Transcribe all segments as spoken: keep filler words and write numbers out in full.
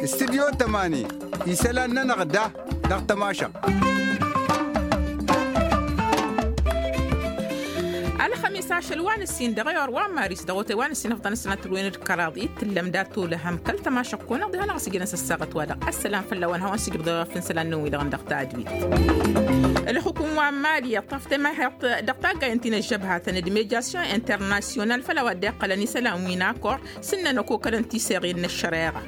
Studyo tămani isălan-nănăɣ da dăɣ-tămašăɣt. Ălxămis ašăl wa n-ǝssin dăɣ-e-or wa n-maris dăɣ-otay wa n-ǝssin ăfḍăn ăsnăt ǝlwen d-kăraḍ i-tǝllăm dat-olăhăm kăl-tămašăɣt-kăwăn-ăɣ diha-năɣ ăsjănăs ăssaɣăt-wa-dăɣ. Ăssălam fălla-wen hawăn-sǝjǝbdăɣ fǝnsălan-năwăn-wi-dăɣ dăɣ-tadwit. Ălxukum wa n-mali iṭṭaf temăhhăḍt dăɣ-taggayăn ti n-ăžžăbhatăn d-mediasyon internasyonal făll-a-wa dd-iqqălăn isălan wi n-akor s-ǝnnăn ăkokălăn tiseɣen n-ăššăreɣa.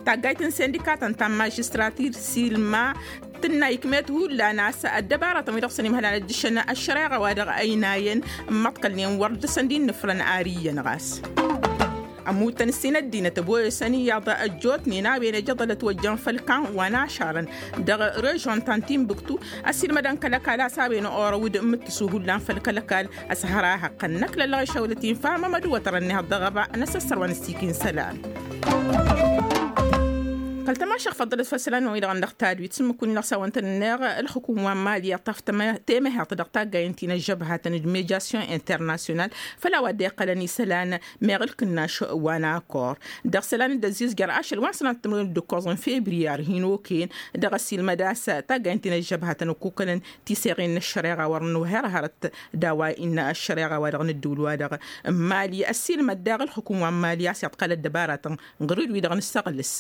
Taggayt n-sindikatăn ta n-mažistrat irsilma tǝnna ikmet hullan a-s ăddăbaratăn wi dăɣ-săn imhălan ăjjǝšăn ăššăreɣa wa dăɣ-ăynayăn n-imăḍkălnen wăr dăr-săn d-innǝfrăn ar iyyăn ɣas. Ămmutăn ǝssin ăddinăt ăboyăsăn iyyăḍ ăjjootnen a-wen ejăḍălăt wăjjăn făll-kan wa n-ašarăn dăɣ-režon ta n-tinbǝktu ăsilmădăn kăl-ăkall a-s a-wen orăw d-imǝttǝsu hullan făll-kăl-ăkall. Ăshărahăqqăn n-ăkla ălɣăšăwlăt infa mămădwătărăn n-ehăḍ dăɣ-ăba n-asăssărwan s-ikin isălan. Kăl-tămašăɣ făḍḍălăt făll-isălan-năwăn-wi-dăɣ n-dăɣ-tadwit s-ǝmmǝk win-dăɣ s-a-wăn tăn-inneɣ ălxukum wa n-mali iṭṭaf temăhhăḍt dăɣ-taggayen ti n-ăžžăbhatăn d-mediasyon internasyonal făll-a-wa dd-iqqălăn isălan meɣ ǝlkǝnnaš wa n-akor dăɣ-isălan d-ăzzizjăr ašăl wa n-sănat timǝrwen d-ǝkkoẓ n-febriyar hin-okăyăn dăɣ-ăsilmăd a-s taggayen ti n-ăžžăbhatăn ăkkukălăn tiseɣen n-ăššăreɣa wăr nǝwher hărăt d-a-wa innă ăššăreɣa wa dăɣ-nǝddǝwǝl-wa-dăɣ n-mali ăssiilmăd daɣ ǝlxǝkǝm wa n-mali a-s iḍkal ăddăbaratăn ɣǝr-dd wi-dăɣ nǝssăɣlǝs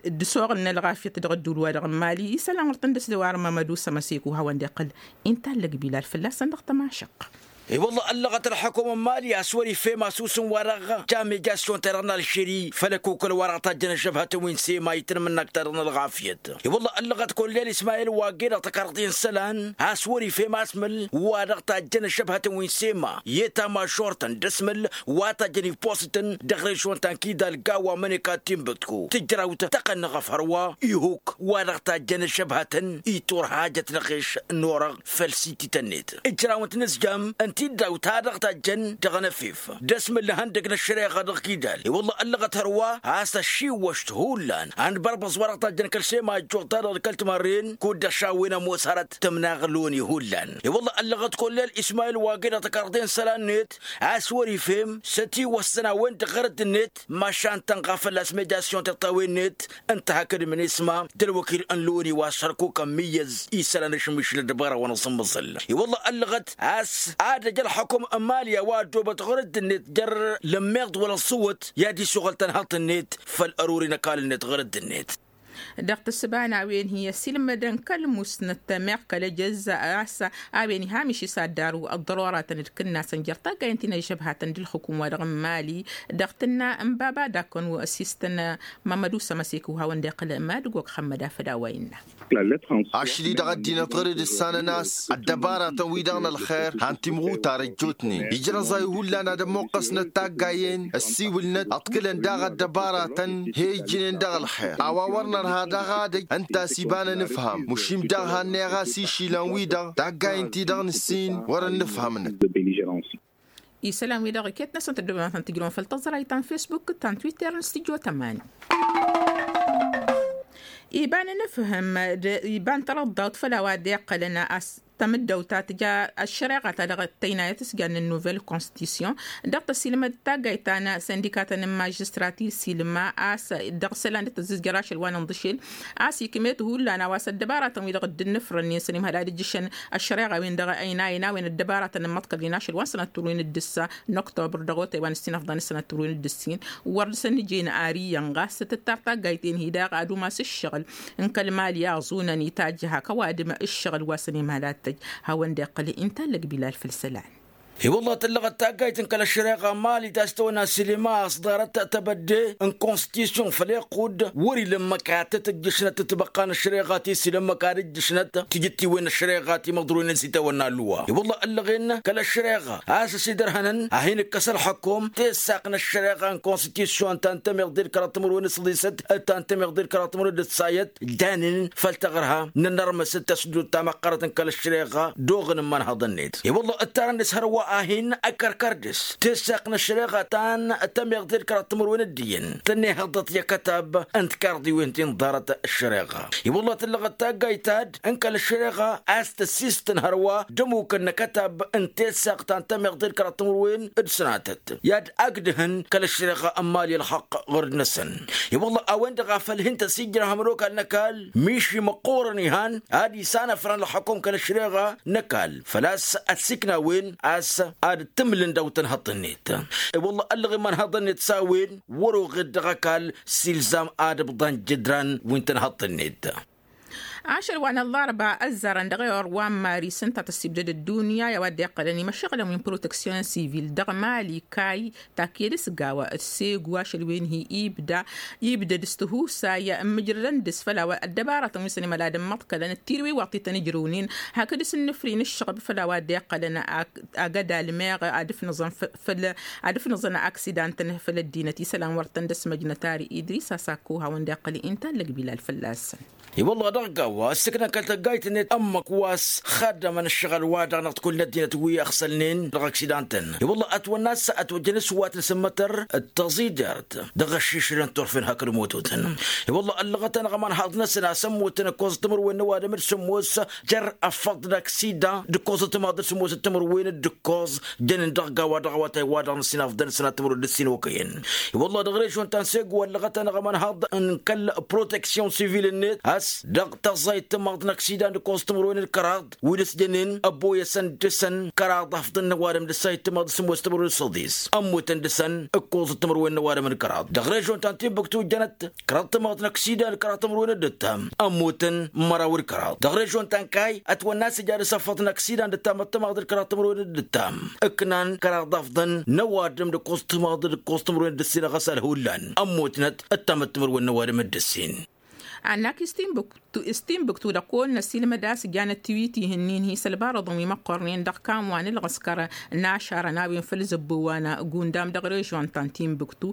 d-ăsoɣǝl n-ălɣafyăt dăɣ-ăddǝwǝl-wa-dăɣ n-mali isălan wăr tăn-dăsdăw armămăd usăm ăsekǝw hawăn-dd-iqqăl. Inta allăg bilal fălla-săn dăɣ-tămašăɣt. I-wălla ăllăɣăt ălxǝkǝm n-mali a-s wăr-ifhem asusǝm-wa-dăɣ. Tamijasyon-ta-dăɣ n-alžeri făll-ăkokăl wa dăɣ-tajjăn ăžžăbhătăn wi n-sema i-tanmǝnnakt-ta-dăɣ n-ălɣafyăt. I-wălla ăllăɣăt kollel ismayil wa ged-dăɣ tăkarḍe n-isălan a-s wăr-ifhem asmǝl wa dăɣ-tajjăn ăžžăbhătăn wi n-sema i-tamašort-tăn d-asmǝl wa tajjăn ipost-tăn dăɣ-režyon ta n-kidal gawa măneka d-tinbǝtku tǝjrawt tăqqăn-năɣ ăfhăr wa ihuk wa dăɣ-tajjăn ăžžăbhătăn i-turhajăt n-aɣeš n-orăɣ făll-sitităn-net ǝjrawăn-t inǝzjam n-tiddawt ta dăɣ-tajjăn dăɣ-năfif d-asmǝl n-ihăndăg n-ăššăreɣa dăɣ-kidal i-wălla ăllăɣăt hărwa a-s ăššiwwăšt hullan a n-bărbăẓ wa dăɣ-tajjăn kăl-sema ăjjoḍ-ta-dăɣ d-kăl-timarren kud-ăšawen ămoos hărăt tǝmnaɣloni hullan i-wălla ăllăɣăt kollel ismayil wa ged-dăɣ tăkarḍe n-isălan-net a-s wăr-ifhem s-ătiwăssăn a-wen-dăɣ ɣărădd-net mašan tănɣa fălla-s mejasyon tiṭṭawen-net ǝnta hakd minisma d-ălwăkil n-loni wa s-hărkuk ămmiyyăz isălan ašmišǝl ăddăbara wa n-asǝmmăẓǝl i-wălla ăllăɣăt a-s ad-ăj ălxukǝm n-mali a-wa ăddoobăt ɣărădd-net jer-lămmiḍ wăla ăṣṣuwăt i-ad-isuɣǝl tănhăḍt-net făll-ăruri n-ăkall-net ɣărădd-net. Dăɣ-tǝssǝba n-a-wen hi-ăsilmădăn kăl-musnăt meɣ kăl-ejăzz a-s a-wen ihamiš isaddar wi ăḍḍăroratăn d-kǝnnasăn jer-taggayen ti n-ăžžăbhatăn d-ǝlxǝkǝm wa dăɣ-n mali dăɣ-tǝnna n-baba d-akkăn wi ăsistăn. Mămădu s-ămăsek wi hawăn-dd-iqqǝl mad-ăgg wa kăxămmăd afăd a-wa innă. Ašli dăɣ-ăddinăt ɣur-dd ǝssanăn a-s ăddăbaratăn-wi-dăɣ n-ălxer han timɣutar ăjjootnen ijrăẓay hullan ad-ămmuqqăsnăt taggayen ăssiwǝlnăt ăḍkǝlăn daɣ ăddăbaratăn he-ijnen dăɣ-ălxer a-wa wăr nărha daɣ ad-ăj ǝnta a-s iba n-anǝfham mušim daɣ hanneɣ a-s išilăn-wi-dăɣ taggayen-ti-dăɣ n-ǝssin wăr-ănnǝfhămnăt. Isălan-wi-dăɣ iket-năsăn tăddoobem ad-tăn-tǝjrǝwăm făll-tăẓrayt ta n-fesbuk ta n-twitter n-studyo tămani. Iba n-anǝfhǝm d-iba n-tărăḍḍawt făll-a-wa dd-iqqălăn a-s tamǝddăwt ta tǝja ăššăreɣa ta dăɣ-tăynayăt s-jan n-nuvel konstitisyon dăɣ-tăsilmăd taggayt ta n-sindikatăn n-mažistrat isilma a-s dăɣ-isălan d-tăzzǝzjăr ašăl wa n-inḍǝšel a-s ikmet hullan a-wa s-ăddăbaratăn-wi-dăɣ dd-ǝnnǝfrănnen s-ănimhăl ad-ǝjjǝšăn ăššăreɣa-wen-dăɣ ăynayăn a-wen ăddăbaratăn n-imăḍkălnen ašăl wa n-sănăt turwen d-ǝssa n-oktobăr dăɣ-otay wa n-ǝssin ăfḍăn s-sănăt turwen d-ǝssin wăr dăr-săn ǝjen ar iyyăn ɣas tǝttar taggayt-en-hi daɣ ad-umas ǝššăɣǝl n-kăl-mali a ăẓunăn itajj hak ăwadǝm ǝššăɣǝl wa s-ănimhăl ad-tăj hawăn-dd-iqqăl. Inta allăg bilal făll-isălan. I-wălla tǝllăɣăt taggayt n-kăl-ăššăreɣa n-mali ta s-tăwănna silima a-s ḍarăt tabădde n-konstitisyon făll-iqqudd wăr-ila ǝmmǝk ad-tăt-ǝjjǝšnăt tǝtbăqqa n-ăššăreɣa ti s-ila ǝmmǝk ad-ǝjjǝšnăt tijǝttiwen n-ăššăreɣa ti măḍroynen s-itawănna ălluwa i-wălla ăllăɣen kăl-ăššăreɣa a-s ăsidărhănăn ad-hin-ǝkkăs ălxukum tessaq n-ăššăreɣa n-konstitisyon ta n-tămiḍe d-kăraḍ timǝrwen d-săḍisăt d-ta n-tămiḍe d-kăraḍ timǝrwen d-ǝssayăt janen făll-taɣărha n-ănnărmăs d-tăsdut ta măqqărăt n-kăl-ăššăreɣa d-oɣǝn n-imănhăḍ-net i-wălla ǝttarăn dăɣ-s hărwa. A hin-ăkkărkăr dăɣ-s tessaqt n-ăššăreɣa ta n-tămeɣ d-ed kăraḍ timǝrwen d-iyyăn tănnehăḍăt i-akătab n-tikarḍiwen ti n-ḍarăt ăššăreɣa. I-wălla tǝllăɣăt taggayt ta d-n kăl-ăššăreɣa a-s tăssistăn hărwa d-ămmukăn n-akătab n-tessaqt ta n-tămeɣ d-ed kăraḍ timǝrwen d-sănatăt i-ad-ăgg dăɣ-hăn kăl-ăššăreɣa ămmal i-ălxăqq ɣur-năsăn. I-wălla a-wen-dăɣ a făl hin-tăsijrăhăm ălwăkal n-ăkall miši măqqoorăn ihan ad-isanăfrăn ălxăkum kăl-ăššăreɣa n-ăkall făl-a-s ăssiikna a-wen a-s ad-tǝmlǝn daw-tănhăḍt-net. I-wălla ăllăɣ imanhăḍăn-net s-a-wen wăr-oɣed dăɣ-ăkall s-ilzam ad-ǝbḍan jǝdran wi n-tănhăḍt-net. Ašăl wa n-ăllarba ăzzarăn dăɣ-ewăr wa n-maris ǝnta tăssibdăd ăddunya i-a-wa dd-iqqălăn imăššăɣǝlăn wi n-proteksyon sivil dăɣ-mali kay taked s-gawa d-segu ašăl wen-hi ibda ibdăd s-tihusay n-imǝjrădăn dăɣ-s făll-a-wa ăddăbaratăn wi săn imălad n-imăḍkălăn d-tirǝwi wa t-ităn ǝjrǝwnen hakd s-ǝnnǝfri n-ǝššăɣb făll-a-wa dd-iqqălăn agădal meɣ ad-ǝfnǝẓăn făll-ad-ǝfnǝẓăn aksidan-tăn făll-ăddinăt isălan wăr tăn-dd-ăsmăjnăt ar idris a-s akko hawăn-dd-iqqăl inta ăllăg bilal fălla-săn. I-wălla dăɣ-gawa ăssiiknăn kăl-tăggayt-net ămmăk wa s-ixaddămăn ǝššăɣǝl-wa-dăɣ n-ad-t-kull n-ăddinăt wi ăɣsălnen dăɣ-aksidan-tăn. I-wălla ătwănna a-s ătwăjjăn s-wa t-nǝsǝmmătăr d-tăẓijert dăɣ-ăššišǝlăn turfen hakd mototăn. I-wălla ăllăɣăt-anăɣ ămanhaḍ-năsăn a-s ămmutăn ǝkkoẓăt timǝrwen n-ăwadǝm d-sǝmmos jer-ăffăḍ n-aksidan d-ǝkkoẓăt timaḍ d-sǝmmos d-timǝrwen d-ǝkkoẓ jănen dăɣ-gawa dăɣ-awătay-wa-dăɣ n-ăssinafḍăn sănat timǝrwen d-ǝssin okăyăn. I-wălla dăɣ-režion ta n-segu ăllăɣăt-anăɣ ămanhaḍ n-kăl-proteksyon sivil-net a-s dăɣ-tăẓẓayt timaḍ n-aksidan d-ǝkkoẓăt timǝrwen d-kăraḍ wi dăɣ-s jănen ăbboyăsăn dăɣ-săn kăraḍ afḍăn n-ăwadǝm d-ăssayăt timaḍ d-sǝmmos timǝrwen d-săḍis ămmutăn dăɣ-săn ǝkkoẓăt timǝrwen n-ăwadǝm d-kăraḍ. Dăɣ-režion ta n-timbuktu jănăt kăraḍ timaḍ n-aksidan d-kăraḍ timǝrwen d-ǝttam ămmutăn măraw d-kăraḍ. Dăɣ-režion ta n-kay ătwănna a-s ija dăɣ-s ăffăḍ n-aksidan d-ǝttam d-timaḍ d-kăraḍ timǝrwen d-ǝttam ǝknan kăraḍ afḍăn n-ăwadǝm d-ǝkkoẓ timaḍ d-ǝkkoẓ timǝrwen d-ǝssin ăɣăsal hullan ămmutnăt ǝttam d-timǝrwen n-ăwadǝm d-ǝssin. Annak s-timbuktu dăɣ-kăwăn-năsilmăd a-s jan ăttiwit ihǝnnin hi-sălbarăḍăn wi măqqornen dăɣ-kamwan ǝlɣǝskăr n-ašarăn a-wen făll-zăbbo wa n-gundam dăɣ-režion ta n-timbuktu.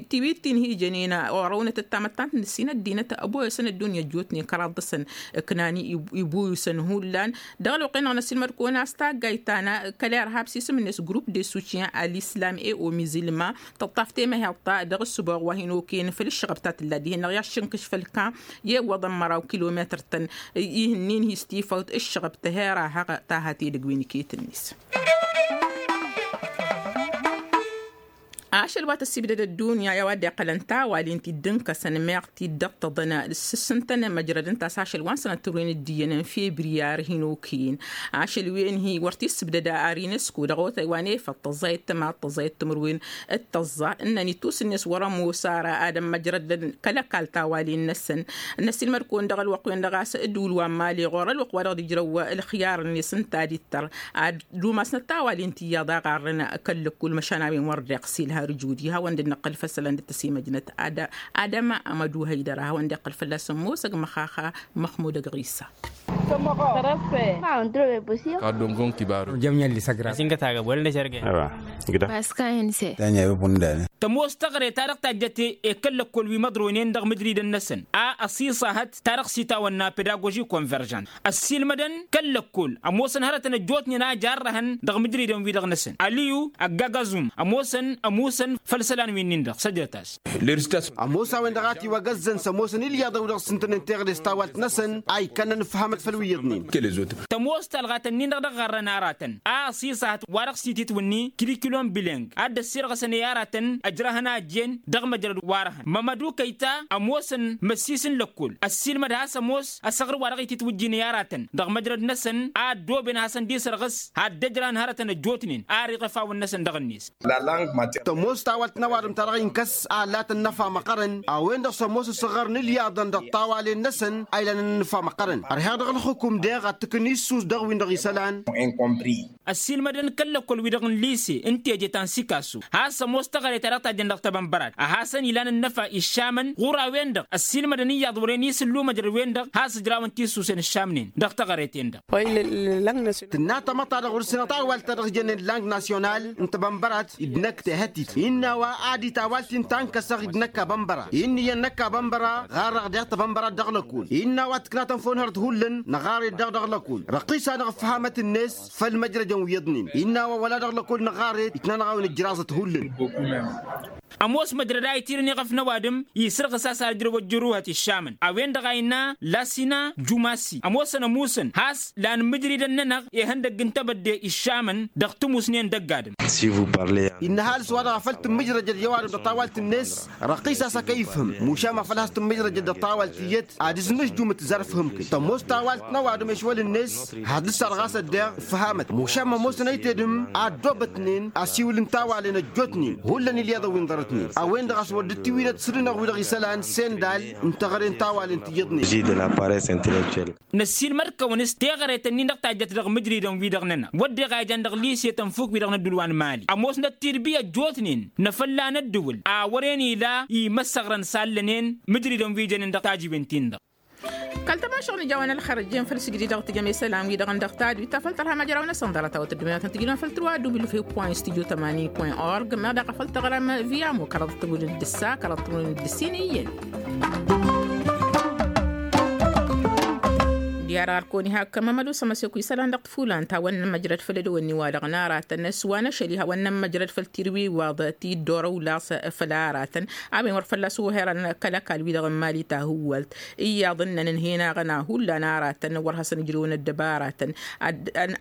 Tiwit-in hi-jănen orăwnăt ăttamăttant n-ǝssin ăddinăt ăboyăsăn ăddunya ăjjootnen kăraḍ dăɣ-săn ǝknan ibuyusăn hullan. Dăɣ-ălwăqq-en-dăɣ n-ăsilmăd-kăwăn a-s taggayt ta n-kăl-i ărhab s-isǝm-net grup de sutien a l-islam e o mizilma tăṭṭaf temăheḍt ta dăɣ-ǝssǝboɣ wa hin-okăyăn făll-ǝššăɣăb ta tǝlla dihen-dăɣ i-ad-šǝnkǝš făll-kan i-iwwăḍăn măraw kilometăr-tăn ihǝnnin hi-s tifăwt ǝššăɣăb tăhera haɣ ta hat edăgg wi n-iket-net. Ašăl wa tăssibdăd ăddunya i-a-wa dd-iqqălăn tawalin ti dd-ǝnkăsăn meɣ ti dd-ăṭṭăḍăn s-ǝssǝntăn măjrăd ǝnta a-s ašăl wa n-sănăt turwen d-iyyăn n-febriyar hin-okăyăn. Ašăl wen-hi wăr t-issǝbdăd ar inesku dăɣ-otay wa n-efăḍ tăẓẓayăt tămaḍ tăẓẓayăt timǝrwen d-tăẓẓa ǝnnăn ittus-net wăr-ămoos ara ad-ămmăjrădăn kăl-ăkall tawalen-năsăn. Năsilmăd-kăwăn dăɣ-ălwăqq-wen-dăɣ a-s ădduul wa n-mali ɣur-ălwăqq wa dăɣ-dd-ijrăw ǝlxiyar-net ǝnta ad-ittăr ad-umasnăt tawalen ti iyyăḍ a ɣarrăn kăl-lăkkul măšan a-wen wăr dd-iɣsil har ǝjud i-hawăn-dd-năqqǝl făssălăn d-tăsimăjnăt. Adăma amădu hăydăra hawăn-dd-iqqǝl fălla-s ămoosăg măxaxa măxmud ăgɣisa. Tămoos teɣăre ta dăɣ-tajjăt i-kăl-lăkkol wi măḍroynen dăɣ-mǝjridăn-năsăn a ăṣiṣahăt ta dăɣ-s itawănna pedagoži konveržant ăssiilmădăn kăl-lăkkol ămoosăn hărătăn ăjjootnen a jarrăhăn dăɣ-mǝjridăn-wi-dăɣ-năsăn aliyu ăggagăẓum ămoosăn ămusăn făll-isălan wi-nin-dăɣ săjdăt-as. Ămoos a-wen-dăɣ a tiwăgăzzăn s-ămoosăn ilyaḍăn wi dăɣ-s ǝntănen teɣăre s-tawalt-năsăn a ikkănnăn ǝfhămăt făll-wi iyyăḍnen. Tămoos talɣatăn-nin-dăɣ dăɣ-ɣărrăn aratăn a ăṣiṣahăt wa dăɣ-s ititwǝnni kirikilon bileng ad-dd-ăssirɣăsăn i-aratăn ăjrăhăn a ăjjeen dăɣ-măjrăd wa răhăn mămădu kăyta ămoosăn măssis n-lăkkol ăssiilmăd has-ămoos ăsăɣr wa dăɣ-ititwǝjjin i-aratăn dăɣ-măjrăd-năsăn a ăddooben hasăn-dd-isărɣǝs ad-dd-ăjrăhăn hărătăn ăjjootnen ar iɣăfawăn-năsăn dăɣ-net. Tămoos tawalt n-ăwadǝm ta dăɣ-inkăs a ăllatăn n-afa măqqărăn a-wen-dăɣ s-ămoos ǝssăɣărăn ilyaḍăn dăɣ-tawalen-năsăn a ilanăn n-afa măqqărăn ărheɣ dăɣ-ălxǝkum deɣ ad-t-ǝkǝn issus dăɣ-win-dăɣ isălan. Ăssiilmădăn kăl-lăkkol-wi-dăɣ n-lise n-teje ta n-sikasu has-ămoos teɣăre ta dăɣ-tajjăn dăɣ-tebănbărat a hasăn-ilan ănnăfa iššamăn ɣur-a-wen-dăɣ ăssiilmădăn iyyăḍ wăren isǝllu măjrăd-wen-dăɣ has-ǝjrawăn tisusen ǝššamnen dăɣ-teɣăre-ten-dăɣ. Tǝnna tamăḍt-ta-dăɣ wăr-sǝnăɣ tawalt-ta-dăɣ jănnen lang nasyonal n-tebănbărat d-năkk tehătit. Innă a-wa ad-itawal ti n-tankăsăɣ-dd năkk abănbăra innă iyyăn năkk abănbăra ɣarrăɣ deɣ tăbănbăra dăɣ-lăkul innă a-wa tǝknatăn făw n-hărăt hullan năɣare-dd dăɣ-lăkul răqqis-anăɣ ǝffăhamăt-net făll-măjrăjăn wi iyyăḍnen innă a-wa wăla dăɣ-lăkul năɣare-dd itnanăɣ a-wen ǝjraẓăt hullan. Ămoos măjrăd a itirǝn iɣăf n-ăwadǝm isǝrɣǝs a-s ad-ǝjrăw ăjjăruhăt iššamăn a-wen-dăɣ a innă lasina jumasi ămoosăn ămuusăn has-lan mǝjridăn-nănăɣ ihăndăgg n-tebădde iššamăn dăɣ-timusnen dăgg-adǝm. Innă ăhalǝs-wa-dăɣ a făl tǝmmǝjrăjăd i-ăwadǝm dăɣ-tawalt-net răqqis-as a kăy-ifhǝm mušam a făl has-tǝmmǝjrăjăd dăɣ-tawalt tiyyăt ad-ǝznǝžjum d-tǝzărfhǝm-kăy tămoos tawalt n-ăwadǝm ešwăl-net had-ǝssar ɣas ăddeɣ ǝffăhamăt mušam ămoosăn ăytedǝm a ăddoobătnen asiwǝl n-tawalen ăjjootnen hullan ilyaḍăn wi n-ḍarătnen a-wen-dăɣ a-s wăr dd-tiwǝynăt s-dd-inăɣ wi-dăɣ isălan sendal n-teɣăre n-tawalen tiyyăḍnen. Năssiilmăd-kăwăn s-teɣăre-tăn-in-dăɣ tajjăt dăɣ-mǝjridăn-wi-dăɣ-nănăɣ wădden a ijan dăɣ-lise tănfuk-wi-dăɣ n-ădduul wa n-mali ămoosnăt tidbi ăjjootnen n-afălla n-ăddǝwǝl a wăren ila imăssăɣrăn s-allănen mǝjridăn wi jănen dăɣ-tajiwen-tin-dăɣ. Kăl-tămašăɣ n-ija a-wa n-ălxărăjjen făll-sǝjdǝy dăɣ-tijăm isălan-wi-dăɣ n-dăɣ tadwit ta făl tărhăm ajraw-năsăn ḍarăt a-wa tăddumem ad-tăn-tǝjǝdăm făll-tărwa dubil fi point studio tămani point org meɣ daɣ a făl tăɣrăm via mo kăraḍăt tămudǝn d-ǝssa kăraḍăt tămudǝn d-ǝssin iyyăn. Diar ɣar kăwăn-iha kămămăd osăm ăseku isălan dăɣ-tǝfulan ta wănnăn măjrăd făll-edăwănni-wa-dăɣ n-aratăn s-wa n-ašăl iha wănnăn măjrăd făll-tirwi iwaḍ ti dd-orăw laẓ făll-aratăn a-wen wăr fălla-s oherăn kăl-ăkall-wi-dăɣ n-mali ta hǝwwalt iyyăḍ ǝnnăn ǝnhăyăn aɣăna hullan aratăn wăr hasăn-ǝjrǝwăn ăddăbaratăn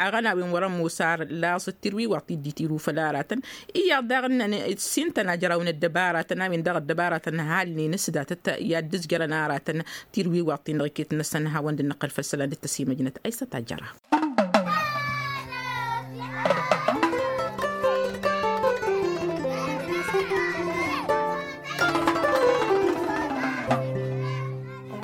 aɣăna a-wen wăr-ămoos ar laẓ d-tirwi iwaḍ ti dd-itiru făll-aratăn iyyăḍ daɣ ǝnnăn ǝssintăn ajraw n-ăddăbaratăn a-wen daɣ ăddăbaratăn n-ăhalnen s-datăt i-ad-dd-ǝzjărăn aratăn tirwiwaḍt-in-dăɣ iket-năsăn hawăn-dd-nǝqqăl făll-isălan dd-tăsimăjnăt a isătajăra.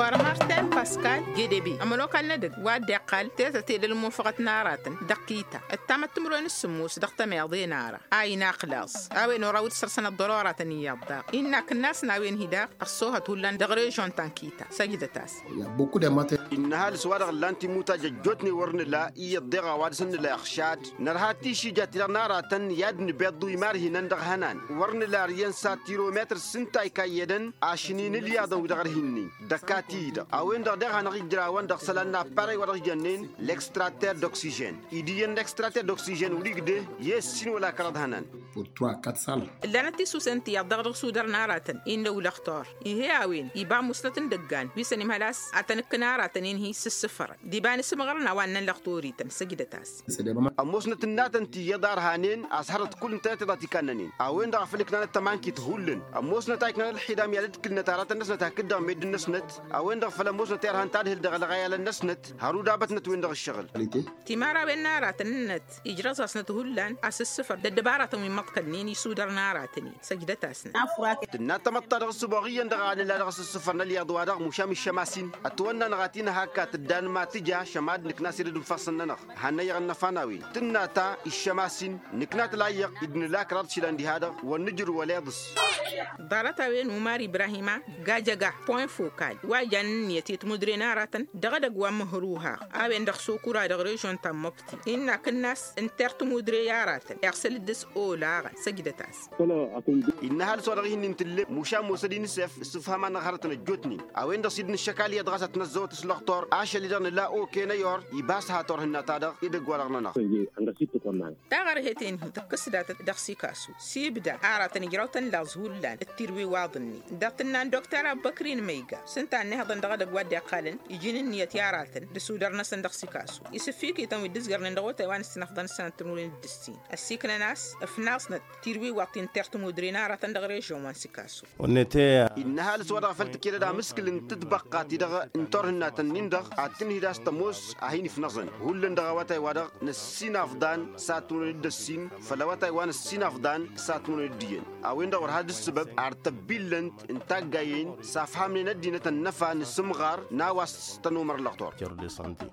Ɣur-marten paskal gedebe ămănokal n-edăgg wa dd-iqqal tetăt edăl n-imufăɣăt n-aratăn dăɣ-kita ăttamăt timǝrwen s-sǝmmos dăɣ-tămeḍe n-ara a inaqlaẓ a-wen oraw dd-sărsăn ăḍḍăr oratăn iyyăḍ daɣ innă akǝnnas n-a-wen-hi daɣ ăṣṣoohăt hullan dăɣ-režon ta n-kita săjdăt-as. Innă ăhalǝs wa-dăɣ ǝllan timutaj ăjjootnen wăr nǝla iyyăḍ deɣ a-wa dăɣ-săn nǝla iɣšad nărha tišija-ti-dăɣ n-aratăn i-ad-nǝbeḍḍu imarhinăn dăɣ-ihănan wăr nǝla ărǝyăn s-ad-tirometăr s-ǝnta a ikayy edăn ašnin ǝlyaḍăn wi dăɣ-ărhinnin dăɣ-kati-i-dăɣ a-wen-dăɣ deɣ hanăɣ-ijrawăn dăɣ-isălan n-apparay wa dăɣ-jănnen l-extratăr d-oksižen. Id' iyyăn n-extratăr d-oksižen wăr-igdeh i-ǝssin wăla kăraḍ hănan. Ǝllanăt tisusen tiyyăḍ dăɣ-dăɣ sudăr n-aratăn innă ulăxtor ih'-e a-wen iba musnăt n-idăggan wi săn imhăl a-s ad-tăn-ǝkkǝn aratăn-in-hi s-ǝssǝfărăn d-iba n-isǝmɣărăn a-wa ǝnnăn lăxtor-ităn săjdăt-as. Ămoosnăt ǝnnatăn tiyyăḍ arhanen a-s hărăt kull ǝntănăt i-dăɣ tikannănen a-wen-dăɣ a făl ǝknanăt tămankit hullan ămoosnăt a iknan ălxidam i-ad-dd-kǝlnăt aratăn-năsnăt hakd-dăɣ meddǝn-năsnăt a-wen-dăɣ făl ămoosnăt i-ărhan tadhǝl dăɣ-ălɣayalăn-năsnăt hărudabătnăt-wen-dăɣ ǝššăɣǝl. Timărawen n-aratăn-năt ijrăẓ-asnăt hullan asǝssǝfăr d-ăddăbaratăn wi n-imăḍkălnen isudăr n-aratăn-in săjdăt-asnăt. Tǝnna tamăḍt-ta-dăɣ ǝssǝboɣ iyyăn-dăɣ a nǝla dăɣ-asǝssǝfăr n-ălyaḍ-wa-dăɣ mušam iššăm-as-in ătwănna-năɣ a t-inhăhakka tǝddan ma tǝja šămad nǝkna s-ed d-infăssăn-nănăɣ hannăyăɣ ǝnnăfa n-a-wen tǝnna ta iššăm-as-in nǝkna tǝlayyăɣ dd-nǝla kăraḍ išilan diha-dăɣ wăr nǝjrǝw ăleḍǝs. Ḍarăt-a-wen umar ibrahima gajăga point fokal wa ijan ǝnniyăt i-timudre n-aratăn dăɣ-edăgg wa n-măhruhaɣ a-wen-dăɣ sokura dăɣ-režon ta n-măbti innă akǝnnas n-ter timudre i-aratăn iɣsăl-dd s-olaɣăn săjdăt-as. Innă ăhalǝs wa dăɣ-ihin-in tǝllem mušam osăd-in s-ef s-ǝfham-anăɣ hărătăn ăjjootnen a-wen-dăɣ s-dd-nǝššăk alyaḍ ɣas ad-t-năzzăwăt s-lăxtor ašăl-i-dăɣ nǝla oke n-ăyor iba s-hator hǝnna-ta-dăɣ edăgg-wa-dăɣ-nănăɣ. Taɣărhet-en-hi tǝkkǝs datăt dăɣ-sikasu s-ibda aratăn ijraw-tăn laẓ hullan d-tirwiwaḍ-nin dăɣ-tǝnna n-dokter abbăkri n-măyga s-ǝnta a ǝnnihăḍăn dăɣ-edăgg wa dd-iqqalăn iji n-ǝnniyăt i-aratăn d-isudăr-năsăn dăɣ-sikasu isǝffikităn wi dd-ǝzgărnen dăɣ-otay wa n-ǝssinăfḍăn s-sănat timǝrwen d-ǝssin ăssiknăn a-s ǝfnaẓnăt tirwiwaḍt-i n-ter timudre n-aratăn dăɣ-režon wa n-sikasu. Innă ăhalǝs wa dăɣ-a făl tǝked ad-amǝskǝl n-tǝtbăqqa-ti-dăɣ n-turhǝnnatăn-nin-dăɣ ad-tǝnhǝy d-a-s tămoos a hin-ifnăẓăn hullan dăɣ-awătay wa dăɣ-năssinafḍan s-ad-tǝmrăwăn d-ăssin făll-awătay wa năssinafḍan s-ad-tǝmrăwăn d-iyyăn a-wen-dăɣ wăr had-ǝssǝbăb ar tăbbillănt n-taggayen s-afhamnen ăddinăt ănnăfa n-asǝmɣar n-a-wa s-tănumăr lăɣtor.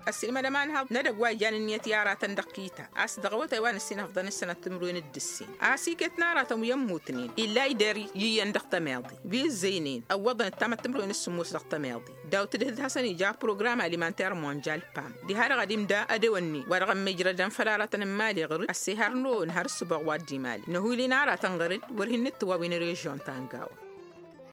Ăssiilmădăm a ǝnhăḍ n-edăgg wa ijan ǝnniyăt i-aratăn dăɣ-kita a-s dăɣ-awătay wa n-ǝssin ăfḍăn ǝssănăt timǝrwen d-ǝssin. A-s iket n-aratăn wi ămmutnen illa ideri iyyăn dăɣ-tămeḍe wi ǝzzăynen ăwwăḍăn ǝttamăt timǝrwen s-sǝmmos dăɣ-tămeḍe. Daw-tǝdhǝd hasăn ija program alimanter monjal pam diha-dăɣ ad-imda ădewănni wa dăɣ-ămmijrădăn făll-aratăn n-imali ɣǝr-dd ăssihărnăwăn har ǝssǝboɣ wa dd-imali năhul'-in aratăn ɣǝr-dd. Wăr hin-nǝttǝwawin režion ta n-gawa.